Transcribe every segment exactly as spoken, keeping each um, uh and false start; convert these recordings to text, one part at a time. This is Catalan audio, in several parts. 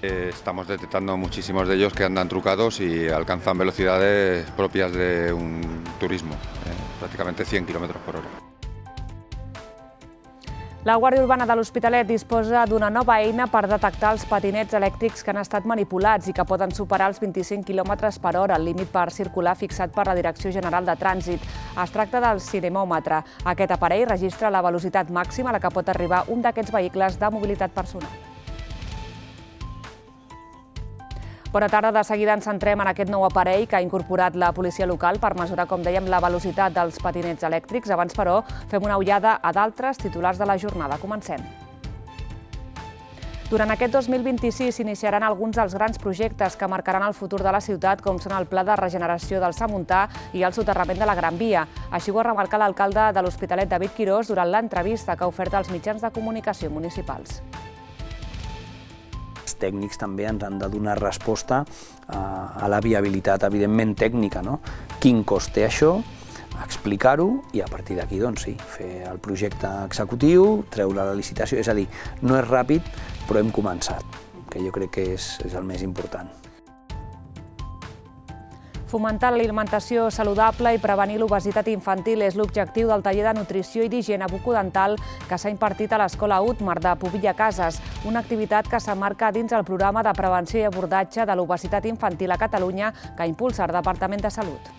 Estamos detectando muchísimos de ellos que andan trucados y alcanzan velocidades propias de un turismo, eh, prácticamente cien kilómetros por hora. La Guàrdia Urbana de l'Hospitalet disposa d'una nova eina per detectar els patinets elèctrics que han estat manipulats i que poden superar els vint-i-cinc quilòmetres per hora, el límit per circular fixat per la Direcció General de Trànsit. Es tracta del cinemòmetre. Aquest aparell registra la velocitat màxima a la que pot arribar un d'aquests vehicles de mobilitat personal. Bona tarda. De seguida ens centrem en aquest nou aparell que ha incorporat la policia local per mesurar, com dèiem, la velocitat dels patinets elèctrics. Abans, però, fem una ullada a d'altres titulars de la jornada. Comencem. Durant aquest dos mil vint-i-sis s'iniciaran alguns dels grans projectes que marcaran el futur de la ciutat, com són el Pla de Regeneració del Samuntà i el soterrament de la Gran Via. Així ho ha remarcat l'alcalde de l'Hospitalet, David Quirós, durant l'entrevista que ha ofert als mitjans de comunicació municipals. Els tècnics també ens han de donar resposta a la viabilitat, evidentment, tècnica. Quin cost té això, explicar-ho i a partir d'aquí, doncs sí, fer el projecte executiu, treure la licitació. És a dir, no és ràpid, però hem començat, que jo crec que és el més important. Fomentar l'alimentació saludable i prevenir l'obesitat infantil és l'objectiu del taller de nutrició i d'higiene bucodental que s'ha impartit a l'Escola Utmar de Pobilla Cases, una activitat que s'emmarca dins el programa de prevenció i abordatge de l'obesitat infantil a Catalunya que impulsa el Departament de Salut.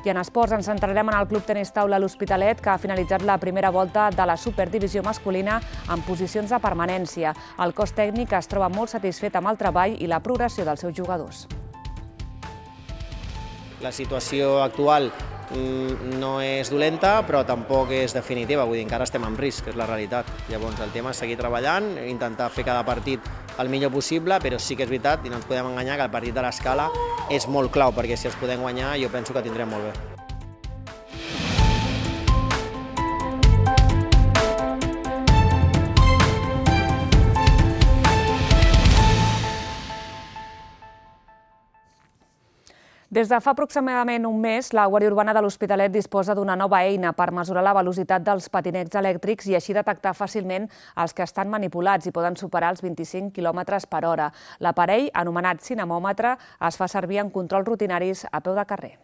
I en esports ens centrarem en el Club Tenis Taula L'Hospitalet, que ha finalitzat la primera volta de la Superdivisió masculina en posicions de permanència. El cos tècnic es troba molt satisfet amb el treball i la progressió dels seus jugadors. La situació actual no és dolenta, però tampoc és definitiva, vull dir, encara estem en risc, que és la realitat. Llavors el tema és seguir treballant, intentar fer cada partit el millor possible, però sí que és veritat, i no ens podem enganyar, que el partit de l'Escala és molt clau, perquè si els podem guanyar jo penso que tindrem molt bé. Des de fa aproximadament un mes, la Guàrdia Urbana de l'Hospitalet disposa d'una nova eina per mesurar la velocitat dels patinets elèctrics i així detectar fàcilment els que estan manipulats i poden superar els vint-i-cinc quilòmetres per hora. L'aparell, anomenat cinemòmetre, es fa servir en controls rutinaris a peu de carrer.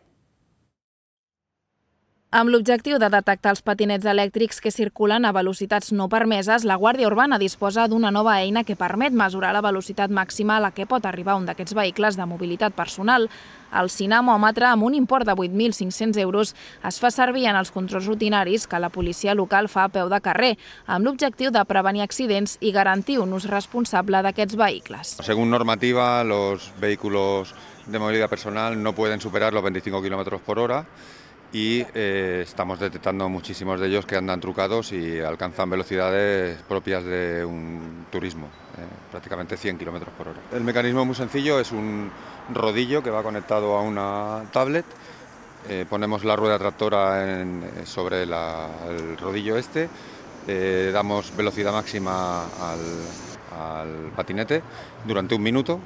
Amb l'objectiu de detectar els patinets elèctrics que circulen a velocitats no permeses, la Guàrdia Urbana disposa d'una nova eina que permet mesurar la velocitat màxima a la que pot arribar un d'aquests vehicles de mobilitat personal. El cinemòmetre, amb un import de vuit mil cinc-cents euros, es fa servir en els controls rutinaris que la policia local fa a peu de carrer, amb l'objectiu de prevenir accidents i garantir un ús responsable d'aquests vehicles. Según normativa, los vehículos de movilidad personal no pueden superar los veinticinco kilómetros por hora. Y eh, estamos detectando muchísimos de ellos que andan trucados y alcanzan velocidades propias de un turismo, eh, prácticamente cien kilómetros por hora. El mecanismo es muy sencillo, es un rodillo que va conectado a una tablet, eh, ponemos la rueda tractora en, sobre la, el rodillo este, eh, damos velocidad máxima al, al patinete durante un minuto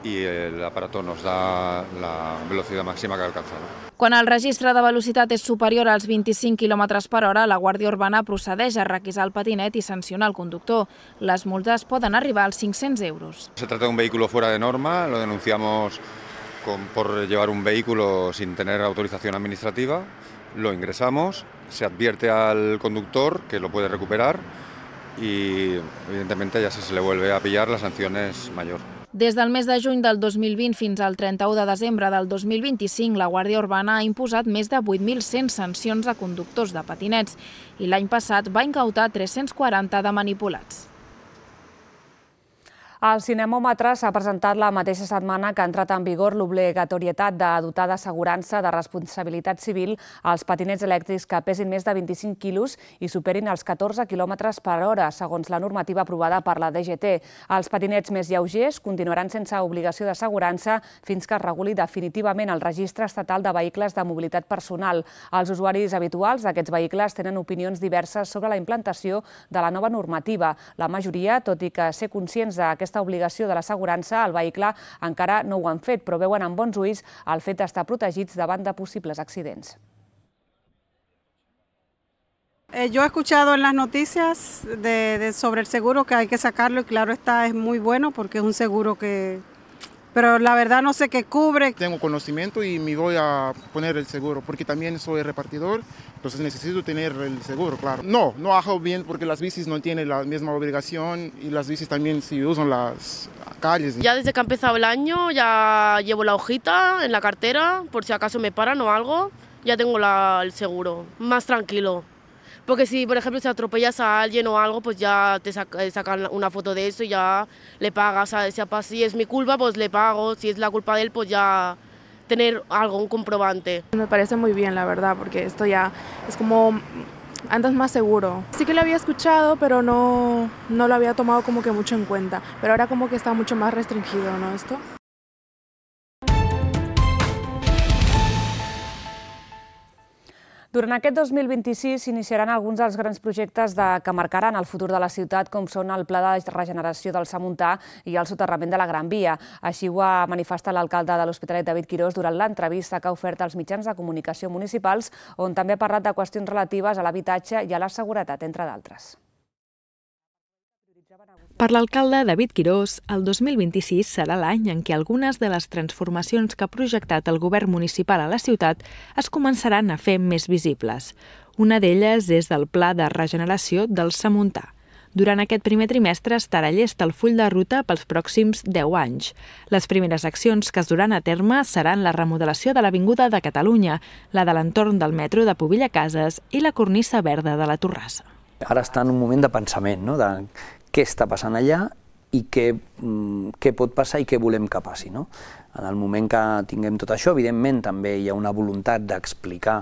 i l'aparato nos da la velocitat màxima que ha alcançat. Quan el registre de velocitat és superior als vint-i-cinc quilòmetres per hora, la Guàrdia Urbana procedeix a requisar el patinet i sancionar el conductor. Les multes poden arribar als cinc-cents euros. Se trata de un vehículo fuera de norma, lo denunciamos con, por llevar un vehículo sin tener autorización administrativa, lo ingresamos, se advierte al conductor que lo puede recuperar y evidentemente ya si se le vuelve a pillar la sanción es mayor. Des del mes de juny del dos mil vint fins al trenta-u de desembre del dos mil vint-i-cinc, la Guàrdia Urbana ha imposat més de vuit mil cent sancions a conductors de patinets i l'any passat va incautar tres-cents quaranta de manipulats. El cinemòmetre s'ha presentat la mateixa setmana que ha entrat en vigor l'obligatorietat de dotar d'assegurança de responsabilitat civil als patinets elèctrics que pesin més de vint-i-cinc quilos i superin els catorze quilòmetres per hora, segons la normativa aprovada per la D G T. Els patinets més lleugers continuaran sense obligació d'assegurança fins que es reguli definitivament el registre estatal de vehicles de mobilitat personal. Els usuaris habituals d'aquests vehicles tenen opinions diverses sobre la implantació de la nova normativa. La majoria, tot i que ser conscients d'aquesta obligació de l'assegurança, el vehicle encara no ho han fet, però veuen amb bons ulls el fet d'estar protegits davant de possibles accidents. Eh, yo he escuchado en las noticias de, de sobre el seguro que hay que sacarlo y claro está, es muy bueno porque es un seguro que... Pero la verdad no sé qué cubre. Tengo conocimiento y me voy a poner el seguro porque también soy repartidor, entonces necesito tener el seguro, claro. No, no hago bien porque las bicis no tienen la misma obligación y las bicis también si usan las calles. Ya desde que ha empezado el año ya llevo la hojita en la cartera por si acaso me paran o algo, ya tengo la, el seguro, más tranquilo. Porque si, por ejemplo, si atropellas a alguien o algo, pues ya te sacan una foto de eso y ya le pagas. ¿Sabes? Si es mi culpa, pues le pago. Si es la culpa de él, pues ya tener algo, un comprobante. Me parece muy bien, la verdad, porque esto ya es como andas más seguro. Sí que lo había escuchado, pero no, no lo había tomado como que mucho en cuenta. Pero ahora como que está mucho más restringido, ¿no? Esto. Durant aquest dos mil vint-i-sis s'iniciaran alguns dels grans projectes de, que marcaran el futur de la ciutat, com són el Pla de Regeneració del Samuntà i el soterrament de la Gran Via. Així ho ha manifestat l'alcalde de l'Hospitalet, David Quirós, durant l'entrevista que ha ofert als mitjans de comunicació municipals, on també ha parlat de qüestions relatives a l'habitatge i a la seguretat, entre d'altres. Per l'alcalde David Quirós, el dos mil vint-i-sis serà l'any en què algunes de les transformacions que ha projectat el govern municipal a la ciutat es començaran a fer més visibles. Una d'elles és el Pla de Regeneració del Samuntà. Durant aquest primer trimestre estarà llest el full de ruta pels pròxims deu anys. Les primeres accions que es duran a terme seran la remodelació de l'Avinguda de Catalunya, la de l'entorn del metro de Pobilla Cases i la cornisa verda de la Torrassa. Ara està en un moment de pensament, no? De què està passant allà i què, què pot passar i què volem que passi. No? En el moment que tinguem tot això, evidentment també hi ha una voluntat d'explicar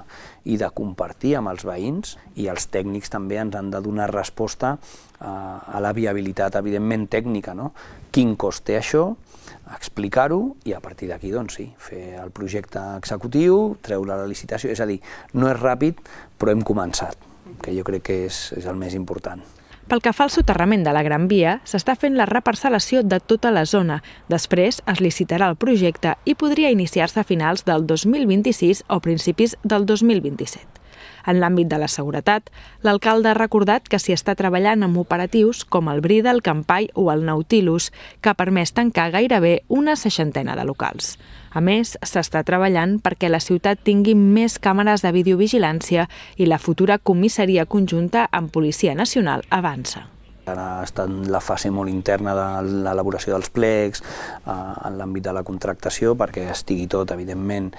i de compartir amb els veïns i els tècnics també ens han de donar resposta a la viabilitat, evidentment, tècnica. No? Quin cost té això, explicar-ho i a partir d'aquí, doncs sí, fer el projecte executiu, treure la licitació, és a dir, no és ràpid, però hem començat, que jo crec que és, és el més important. Pel que fa al soterrament de la Gran Via, s'està fent la reparcel·lació de tota la zona. Després es licitarà el projecte i podria iniciar-se a finals del dos mil vint-i-sis o principis del dos mil vint-i-set. En l'àmbit de la seguretat, l'alcalde ha recordat que s'hi està treballant amb operatius com el Brida, el Campai o el Nautilus, que ha permès tancar gairebé una seixantena de locals. A més, s'està treballant perquè la ciutat tingui més càmeres de videovigilància i la futura comissaria conjunta amb Policia Nacional avança. Ara està en la fase molt interna de l'elaboració dels plecs, en l'àmbit de la contractació, perquè estigui tot, evidentment,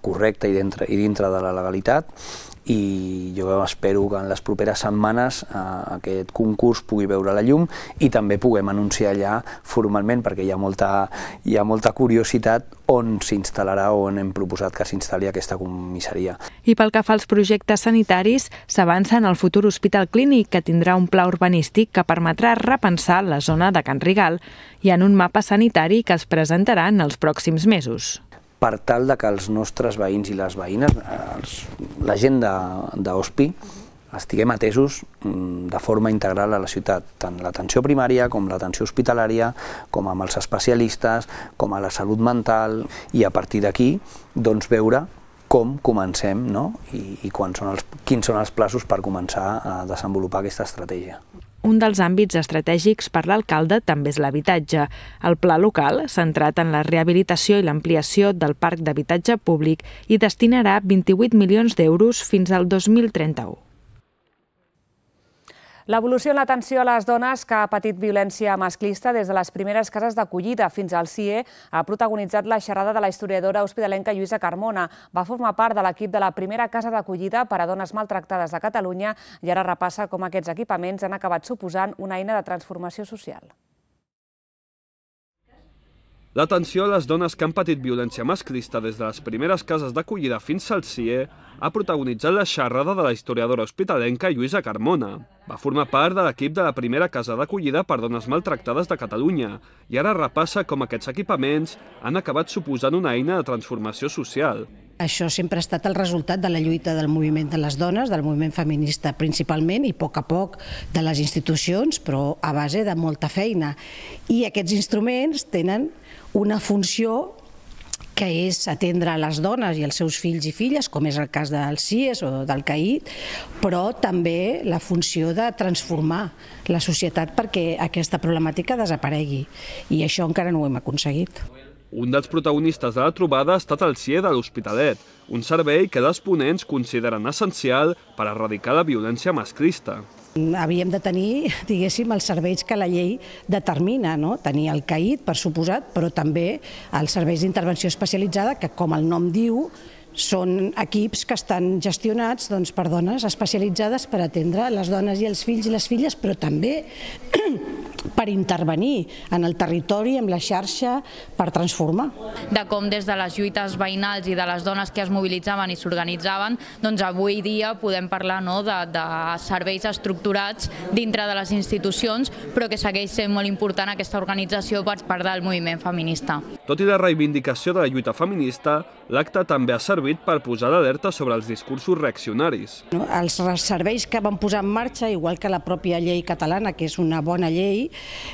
correcte i dintre de la legalitat. I jo espero que en les properes setmanes aquest concurs pugui veure la llum i també puguem anunciar allà formalment, perquè hi ha molta, hi ha molta curiositat on s'instal·larà o on hem proposat que s'instal·li aquesta comissaria. I pel que fa als projectes sanitaris, s'avança en el futur hospital clínic, que tindrà un pla urbanístic que permetrà repensar la zona de Can Rigal i en un mapa sanitari que es presentarà en els pròxims mesos. Per tal que els nostres veïns i les veïnes, la gent d'Hospi, estiguem atesos de forma integral a la ciutat, tant l'atenció primària com l'atenció hospitalària, com amb els especialistes, com a la salut mental, i a partir d'aquí veure com comencem i quins són els plaços per començar a desenvolupar aquesta estratègia. Un dels àmbits estratègics per l'alcalde també és l'habitatge. El pla local, centrat en la rehabilitació i l'ampliació del parc d'habitatge públic, hi destinarà vint-i-vuit milions d'euros fins al dos mil trenta-u. L'evolució en l'atenció a les dones que ha patit violència masclista des de les primeres cases d'acollida fins al C I E ha protagonitzat la xerrada de la historiadora hospitalenca Lluïsa Carmona. Va formar part de l'equip de la primera casa d'acollida per a dones maltractades de Catalunya i ara repassa com aquests equipaments han acabat suposant una eina de transformació social. L'atenció a les dones que han patit violència masclista des de les primeres cases d'acollida fins al C I E ha protagonitzat la xerrada de la historiadora hospitalenca Lluïsa Carmona. Va formar part de l'equip de la primera casa d'acollida per dones maltractades de Catalunya i ara repassa com aquests equipaments han acabat suposant una eina de transformació social. Això sempre ha estat el resultat de la lluita del moviment de les dones, del moviment feminista principalment i a poc a poc de les institucions, però a base de molta feina. I aquests instruments tenen una funció que és atendre les dones i els seus fills i filles, com és el cas del C I E S o del C A I D, però també la funció de transformar la societat perquè aquesta problemàtica desaparegui. I això encara no ho hem aconseguit. Un dels protagonistes de la trobada ha estat el C I E de l'Hospitalet, un servei que els ponents consideren essencial per erradicar la violència masclista. Havíem de tenir, diguéssim, els serveis que la llei determina, no? Tenir el C A I D, per suposat, però també els serveis d'intervenció especialitzada, que, com el nom diu, són equips que estan gestionats doncs, per dones especialitzades per atendre les dones i els fills i les filles, però també per intervenir en el territori, amb la xarxa, per transformar. De com des de les lluites veïnals i de les dones que es mobilitzaven i s'organitzaven, doncs avui dia podem parlar no, de, de serveis estructurats dintre de les institucions, però que segueix sent molt important aquesta organització per part del moviment feminista. Tot i la reivindicació de la lluita feminista, l'acte també ha servit per posar l'alerta sobre els discursos reaccionaris. Els serveis que van posar en marxa, igual que la pròpia llei catalana, que és una bona llei,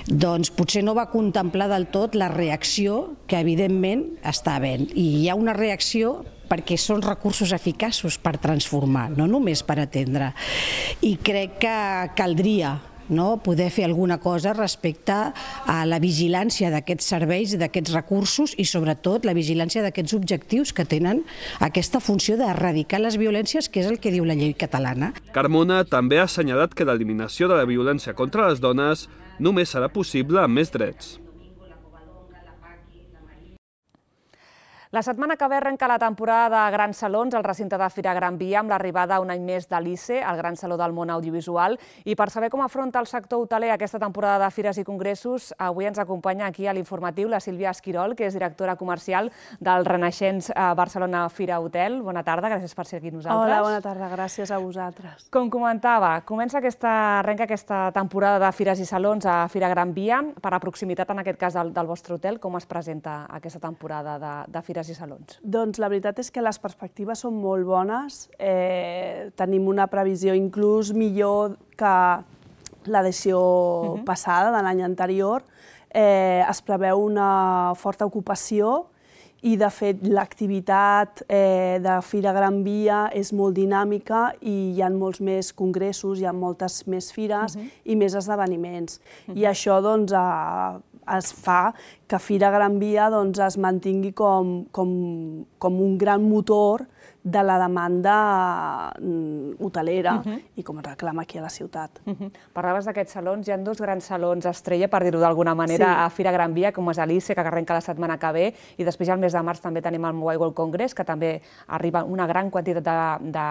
doncs potser no va contemplar del tot la reacció que evidentment està havent. I hi ha una reacció perquè són recursos eficaços per transformar, no només per atendre. I crec que caldria no, poder fer alguna cosa respecte a la vigilància d'aquests serveis i d'aquests recursos i sobretot la vigilància d'aquests objectius que tenen aquesta funció d'erradicar les violències, que és el que diu la llei catalana. Carmona també ha assenyalat que l'eliminació de la violència contra les dones només serà possible amb més drets. La setmana que ve arrenca la temporada de Grans Salons al recinte de Fira Gran Via amb l'arribada un any més de l'I C E, el Gran Saló del Món Audiovisual. I per saber com afronta el sector hoteler aquesta temporada de fires i congressos, avui ens acompanya aquí a l'informatiu la Sílvia Esquirol, que és directora comercial del renaixents Barcelona Fira Hotel. Bona tarda, gràcies per ser aquí amb nosaltres. Hola, bona tarda, gràcies a vosaltres. Com comentava, comença aquesta, arrenca aquesta temporada de fires i salons a Fira Gran Via. Per la proximitat, en aquest cas, del, del vostre hotel, com es presenta aquesta temporada de, de fires i salons? Doncs la veritat és que les perspectives són molt bones. Eh, tenim una previsió inclús millor que l'edició uh-huh. passada, de l'any anterior. Eh, es preveu una forta ocupació i, de fet, l'activitat eh, de Fira Gran Via és molt dinàmica i hi ha molts més congressos, hi ha moltes més fires uh-huh. i més esdeveniments. Uh-huh. I això, doncs, a, es fa que Fira Gran Via doncs, es mantingui com, com, com un gran motor de la demanda hotelera uh-huh. i com es reclama aquí a la ciutat. Uh-huh. Parlaves d'aquests salons, hi ha dos grans salons estrella, per dir-ho d'alguna manera, sí. a Fira Gran Via, com és l'I C E, que arrenca la setmana que ve, i després al mes de març també tenim el Mobile World Congress, que també arriba una gran quantitat de, de,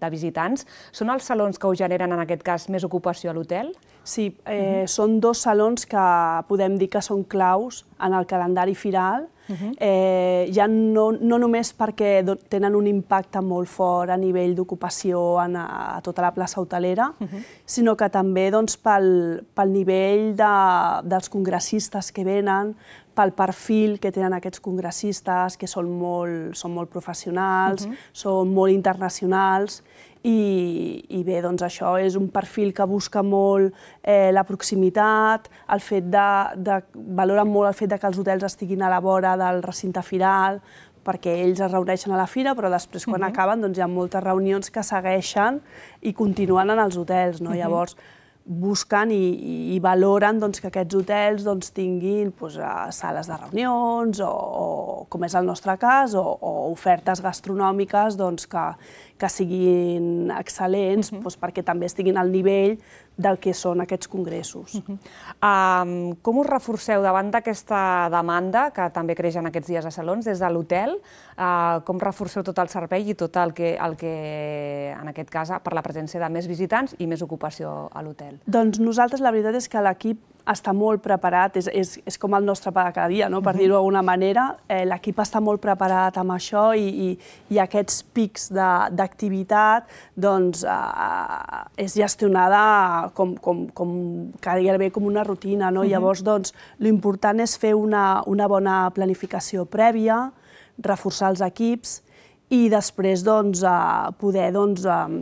de visitants. Són els salons que us generen, en aquest cas, més ocupació a l'hotel? Sí, eh, uh-huh. són dos salons que podem dir que són claus en el calendari firal, uh-huh. eh, ja no, no només perquè tenen un impacte molt fort a nivell d'ocupació a, a tota la plaça hotelera, uh-huh. sinó que també doncs, pel, pel nivell de, dels congressistes que venen, pel perfil que tenen aquests congressistes, que són molt, són molt professionals, uh-huh. són molt internacionals, I, i bé, doncs això és un perfil que busca molt eh, la proximitat, el fet de, de, valoren molt el fet de que els hotels estiguin a la vora del recinte firal, perquè ells es reuneixen a la fira, però després quan uh-huh. acaben doncs, hi ha moltes reunions que segueixen i continuen en els hotels, no? Uh-huh. Llavors busquen i, i valoren doncs, que aquests hotels doncs, tinguin doncs, sales de reunions o, o, com és el nostre cas, o, o ofertes gastronòmiques doncs, que, que siguin excel·lents uh-huh. doncs, perquè també estiguin al nivell del que són aquests congressos. Uh-huh. um, com us reforceu davant d'aquesta demanda, que també creix en aquests dies a salons, des de l'hotel? Uh, com reforceu tot el servei i tot el que, el que, en aquest cas, per la presència de més visitants i més ocupació a l'hotel? Doncs nosaltres la veritat és que l'equip està molt preparat, és, és, és com el nostre pa de cada dia, no? Per uh-huh. dir-ho d'alguna manera. Eh, l'equip està molt preparat amb això i, i, i aquests pics d'activitat doncs, eh, és gestionada com, com, com gairebé com una rutina. No? Uh-huh. Llavors, doncs, l'important és fer una, una bona planificació prèvia, reforçar els equips i després doncs, eh, poder doncs, eh,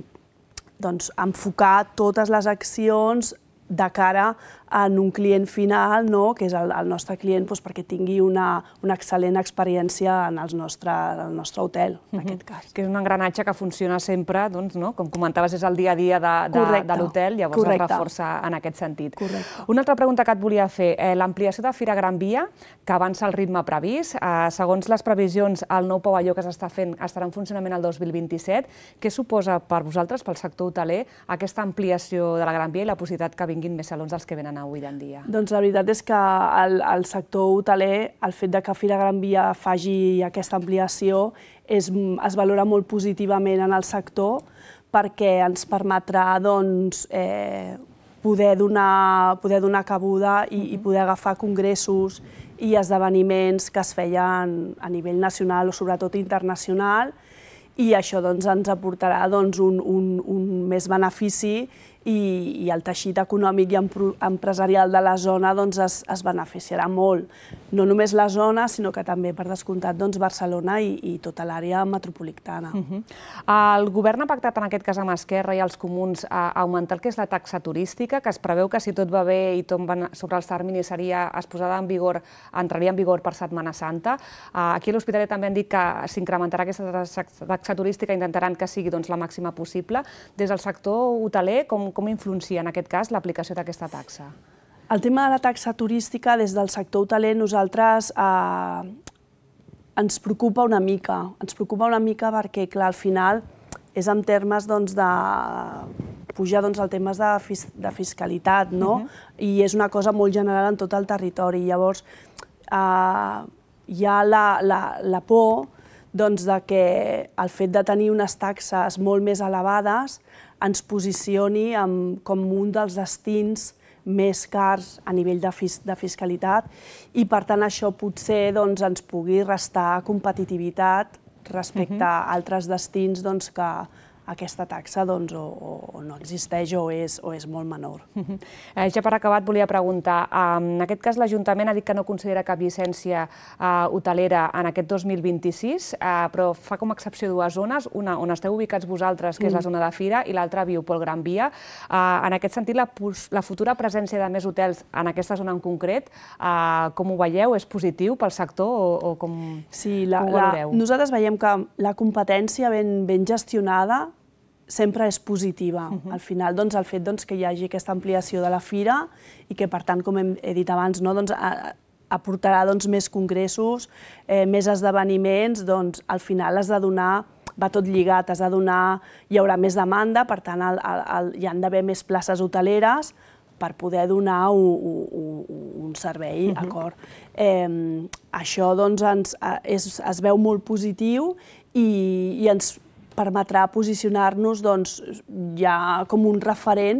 doncs, enfocar totes les accions de cara en un client final, no? Que és el, el nostre client, doncs, perquè tingui una, una excel·lent experiència en els nostre, en el nostre hotel, en aquest cas. Que és un engranatge que funciona sempre, doncs, no? Com comentaves, és el dia a dia de, de, de l'hotel, llavors Correcte. Es reforça en aquest sentit. Correcte. Una altra pregunta que et volia fer, eh, l'ampliació de Fira Gran Via, que avança el ritme previst, eh, segons les previsions, el nou pavelló que s'està fent estarà en funcionament el dos mil vint-i-set. Què suposa per vosaltres, pel sector hoteler, aquesta ampliació de la Gran Via i la possibilitat que vinguin més salons dels que venen avui en dia? Doncs la veritat és que el, el sector hoteler, el fet de que Fira Gran Via faci aquesta ampliació és, es valora molt positivament en el sector perquè ens permetrà doncs, eh, poder, donar, poder donar cabuda i, i poder agafar congressos i esdeveniments que es feien a nivell nacional o sobretot internacional, i això doncs, ens aportarà doncs, un, un, un més benefici i, i el teixit econòmic i empresarial de la zona doncs, es, es beneficiarà molt. No només la zona, sinó que també, per descomptat, doncs, Barcelona i, i tota l'àrea metropolitana. Uh-huh. El govern ha pactat, en aquest cas amb Esquerra i els comuns, a augmentar el que és la taxa turística, que es preveu que si tot va bé i tot va sobre els terminis seria, es posarà en vigor, entraria en vigor per Setmana Santa. Aquí a l'Hospitalet també han dit que s'incrementarà aquesta taxa turística, intentaran que sigui doncs, la màxima possible. Des del sector hoteler, com, com influencia en aquest cas l'aplicació d'aquesta taxa? El tema de la taxa turística, des del sector hoteler, nosaltres eh, ens preocupa una mica. Ens preocupa una mica perquè, clar, al final és en termes doncs, de pujar doncs, el temes de, fis de fiscalitat, no? Uh-huh. I és una cosa molt general en tot el territori. Llavors, eh, hi ha la, la, la por doncs, de que el fet de tenir unes taxes molt més elevades ens posicioni amb, com un dels destins més cars a nivell de, fis, de fiscalitat i, per tant, això potser doncs, ens pugui restar competitivitat respecte uh-huh. a altres destins doncs, que aquesta taxa doncs, o, o no existeix o és, o és molt menor. Uh-huh. eh, ja per acabat volia preguntar, eh, en aquest cas l'Ajuntament ha dit que no considera cap llicència eh, hotelera en aquest dos mil vint-i-sis, eh, però fa com a excepció dues zones, una on esteu ubicats vosaltres, que és la zona de Fira, i l'altra Biopol Gran Via. Eh, en aquest sentit, la, la futura presència de més hotels en aquesta zona en concret, eh, com ho veieu? És positiu pel sector o, o com, sí, la, com ho valoreu? La, nosaltres veiem que la competència ben, ben gestionada sempre és positiva. Uh-huh. Al final, doncs, el fet doncs, que hi hagi aquesta ampliació de la fira i que, per tant, com hem dit abans, no, doncs, a, aportarà doncs, més congressos, eh, més esdeveniments, doncs, al final has de donar, va tot lligat, has de donar, hi haurà més demanda, per tant, el, el, el, hi han d'haver més places hoteleres per poder donar un, un, un servei, uh-huh. acord. Eh, això doncs, ens, és, es veu molt positiu i, i ens permetrà posicionar-nos doncs, ja com un referent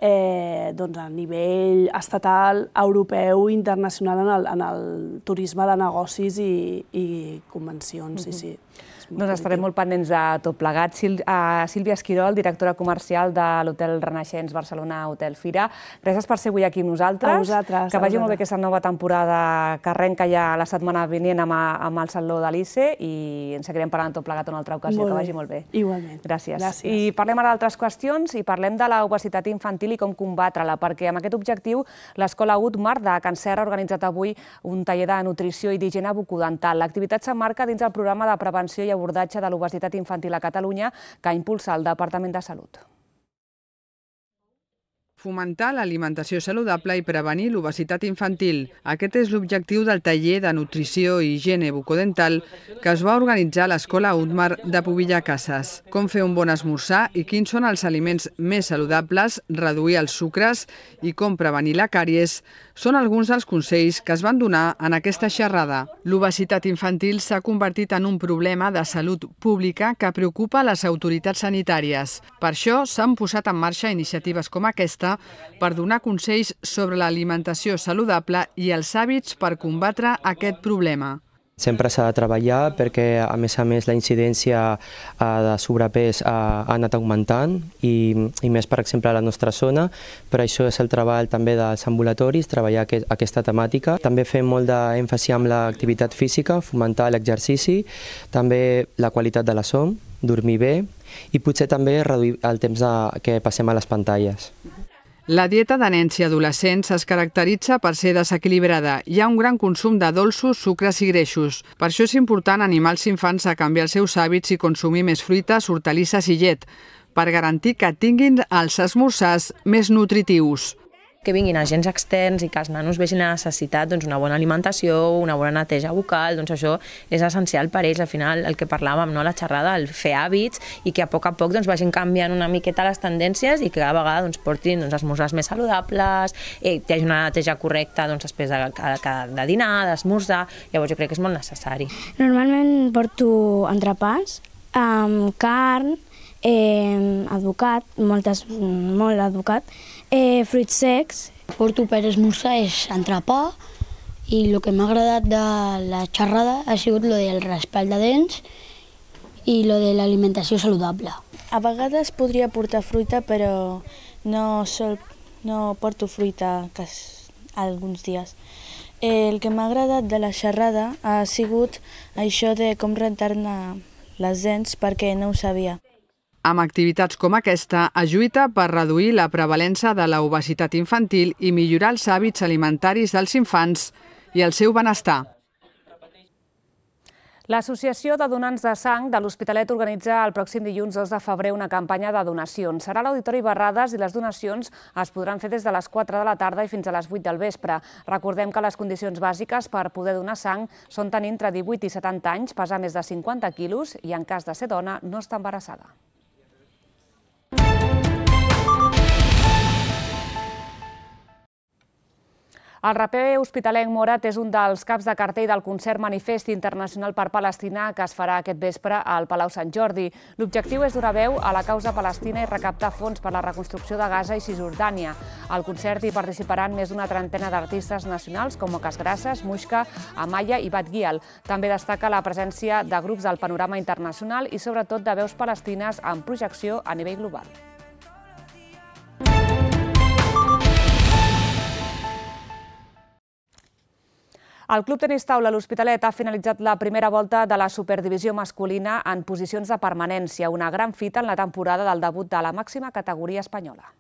eh, doncs, a nivell estatal, europeu i internacional en el, en el turisme de negocis i, i convencions. Uh-huh. Sí, sí. Doncs estarem molt pendents de tot plegat. Sílvia Esquirol, directora comercial de l'Hotel Renaixents Barcelona Hotel Fira. Gràcies per ser avui aquí amb nosaltres. A vosaltres. Que vagi molt bé aquesta nova temporada que arrenca ja la setmana vinent amb, amb el Saló de l'I C E i ens seguirem parlant tot plegat una altra ocasió. Que vagi molt bé. Igualment. Gràcies. Gràcies. I parlem ara d'altres qüestions i parlem de l'obesitat infantil i com combatre-la, perquè amb aquest objectiu l'Escola Utmar de Can Serra ha organitzat avui un taller de nutrició i d'higiene bucodental. L'activitat s'emmarca dins el programa de prevenció i abordatge de l'obesitat infantil a Catalunya que impulsa el Departament de Salut. Fomentar l'alimentació saludable i prevenir l'obesitat infantil. Aquest és l'objectiu del taller de nutrició i higiene bucodental que es va organitzar a l'Escola Utmar de Pobilla Cases. Com fer un bon esmorzar i quins són els aliments més saludables, reduir els sucres i com prevenir la càries són alguns dels consells que es van donar en aquesta xerrada. L'obesitat infantil s'ha convertit en un problema de salut pública que preocupa les autoritats sanitàries. Per això s'han posat en marxa iniciatives com aquesta per donar consells sobre l'alimentació saludable i els hàbits per combatre aquest problema. Sempre s'ha de treballar perquè, a més a més, la incidència de sobrepès ha anat augmentant i, i més, per exemple, a la nostra zona. Per això és el treball també dels ambulatoris, treballar aquesta temàtica. També fem molt d'èmfasi amb l'activitat física, fomentar l'exercici, també la qualitat de la son, dormir bé i potser també reduir el temps de, que passem a les pantalles. La dieta de nens i adolescents es caracteritza per ser desequilibrada. Hi ha un gran consum de dolços, sucres i greixos. Per això és important animar els infants a canviar els seus hàbits i consumir més fruites, hortalisses i llet, per garantir que tinguin els esmorzars més nutritius. Que vinguin agents externs i que els nanos vegin la necessitat d'una bona alimentació, una bona neteja bucal, doncs això és essencial per ells. Al final, el que parlàvem, la xerrada, el fer hàbits i que a poc a poc vagin canviant una miqueta les tendències i que cada vegada portin esmorzars més saludables, hi hagi una neteja correcta després de dinar, d'esmorzar. Llavors jo crec que és molt necessari. Normalment porto entrepans amb carn, advocat, molt advocat, fruits secs. Porto per esmorzar és entrepà i el que m'ha agradat de la xerrada ha sigut lo del raspall de dents i lo de l'alimentació saludable. A vegades podria portar fruita, però no, sol, no porto fruita alguns dies. El que m'ha agradat de la xerrada ha sigut això de com rentar-ne les dents, perquè no ho sabia. Amb activitats com aquesta, es lluita per reduir la prevalença de l'obesitat infantil i millorar els hàbits alimentaris dels infants i el seu benestar. L'Associació de Donants de Sang de l'Hospitalet organitza el pròxim dilluns dos de febrer una campanya de donacions. Serà a l'Auditori Barrades i les donacions es podran fer des de les quatre de la tarda i fins a les vuit del vespre. Recordem que les condicions bàsiques per poder donar sang són tenir entre divuit i setanta anys, pesar més de cinquanta quilos i, en cas de ser dona, no estar embarassada. El raper hospitalenc Morat és un dels caps de cartell del concert Manifest Internacional per Palestina que es farà aquest vespre al Palau Sant Jordi. L'objectiu és donar veu a la causa palestina i recaptar fons per la reconstrucció de Gaza i Cisjordània. Al concert hi participaran més d'una trentena d'artistes nacionals com Ocas Grasses, Muixca, Amaya i Bat Gial. També destaca la presència de grups del panorama internacional i sobretot de veus palestines en projecció a nivell global. El Club Tenis Taula l'Hospitalet ha finalitzat la primera volta de la Superdivisió masculina en posicions de permanència, una gran fita en la temporada del debut de la màxima categoria espanyola.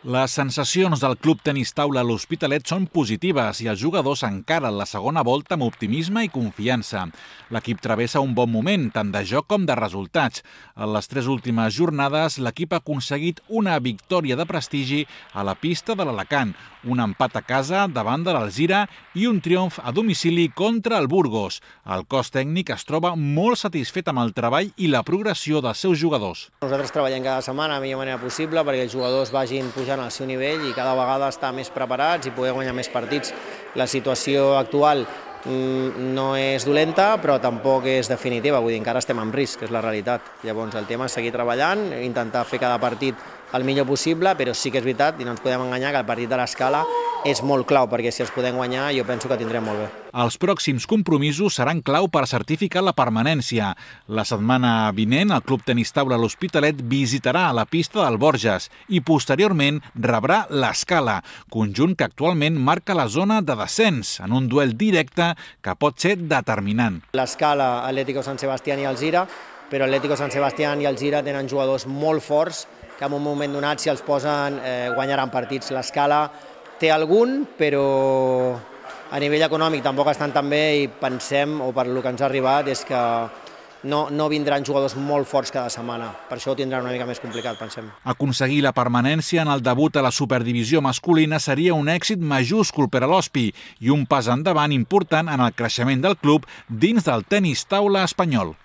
Les sensacions del Club Tenis Taula a l'Hospitalet són positives i els jugadors encaren la segona volta amb optimisme i confiança. L'equip travessa un bon moment, tant de joc com de resultats. En les tres últimes jornades, l'equip ha aconseguit una victòria de prestigi a la pista de l'Alacant, un empat a casa davant de l'Alzira i un triomf a domicili contra el Burgos. El cos tècnic es troba molt satisfet amb el treball i la progressió dels seus jugadors. Nosaltres treballem cada setmana de la millor manera possible perquè els jugadors vagin pujant al seu nivell i cada vegada estar més preparats i poder guanyar més partits. La situació actual no és dolenta, però tampoc és definitiva, vull dir, encara estem en risc, que és la realitat. Llavors el tema és seguir treballant, intentar fer cada partit el millor possible, però sí que és veritat, i no ens podem enganyar, que el partit de l'Escala és molt clau, perquè si els podem guanyar jo penso que tindrem molt bé. Els pròxims compromisos seran clau per certificar la permanència. La setmana vinent, el Club Tenis Taula l'Hospitalet visitarà la pista del Borges i posteriorment rebrà l'Escala, conjunt que actualment marca la zona de descens en un duel directe que pot ser determinant. L'Escala, Atlético San Sebastián i Alzira, però Atlético San Sebastián i Alzira tenen jugadors molt forts que en un moment donat, si els posen, eh, guanyaran partits. L'Escala té algun, però a nivell econòmic tampoc estan tan bé i pensem, o per el que ens ha arribat, és que no, no vindran jugadors molt forts cada setmana. Per això ho tindran una mica més complicat, pensem. Aconseguir la permanència en el debut a la Superdivisió masculina seria un èxit majúscul per a l'Hospi i un pas endavant important en el creixement del club dins del tenis taula espanyol.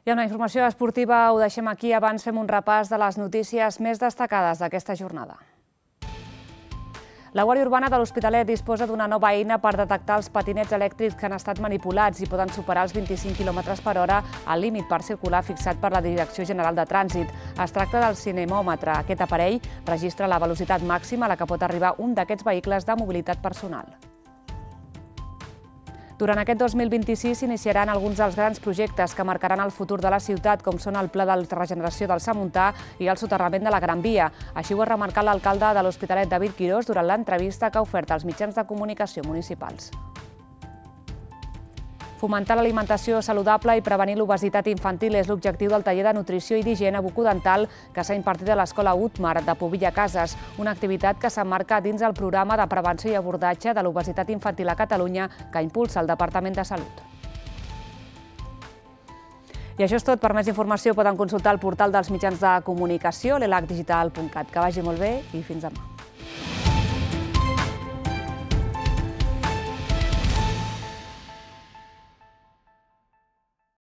I una informació esportiva ho deixem aquí. Abans fem un repàs de les notícies més destacades d'aquesta jornada. La Guàrdia Urbana de l'Hospitalet disposa d'una nova eina per detectar els patinets elèctrics que han estat manipulats i poden superar els vint-i-cinc quilòmetres per hora al límit per circular fixat per la Direcció General de Trànsit. Es tracta del cinemòmetre. Aquest aparell registra la velocitat màxima a la que pot arribar un d'aquests vehicles de mobilitat personal. Durant aquest dos mil vint-i-sis s'iniciaran alguns dels grans projectes que marcaran el futur de la ciutat, com són el Pla de regeneració del Samuntà i el soterrament de la Gran Via. Així ho ha remarcat l'alcalde de l'Hospitalet, David Quirós, durant l'entrevista que ha ofert als mitjans de comunicació municipals. Fomentar l'alimentació saludable i prevenir l'obesitat infantil és l'objectiu del taller de nutrició i d'higiene bucodental que s'ha impartit a l'Escola Utmar de Pobilla Cases, una activitat que s'emmarca dins el programa de prevenció i abordatge de l'obesitat infantil a Catalunya que impulsa el Departament de Salut. I això és tot. Per més informació poden consultar el portal dels mitjans de comunicació, l'elac digital punt cat. Que vagi molt bé i fins demà.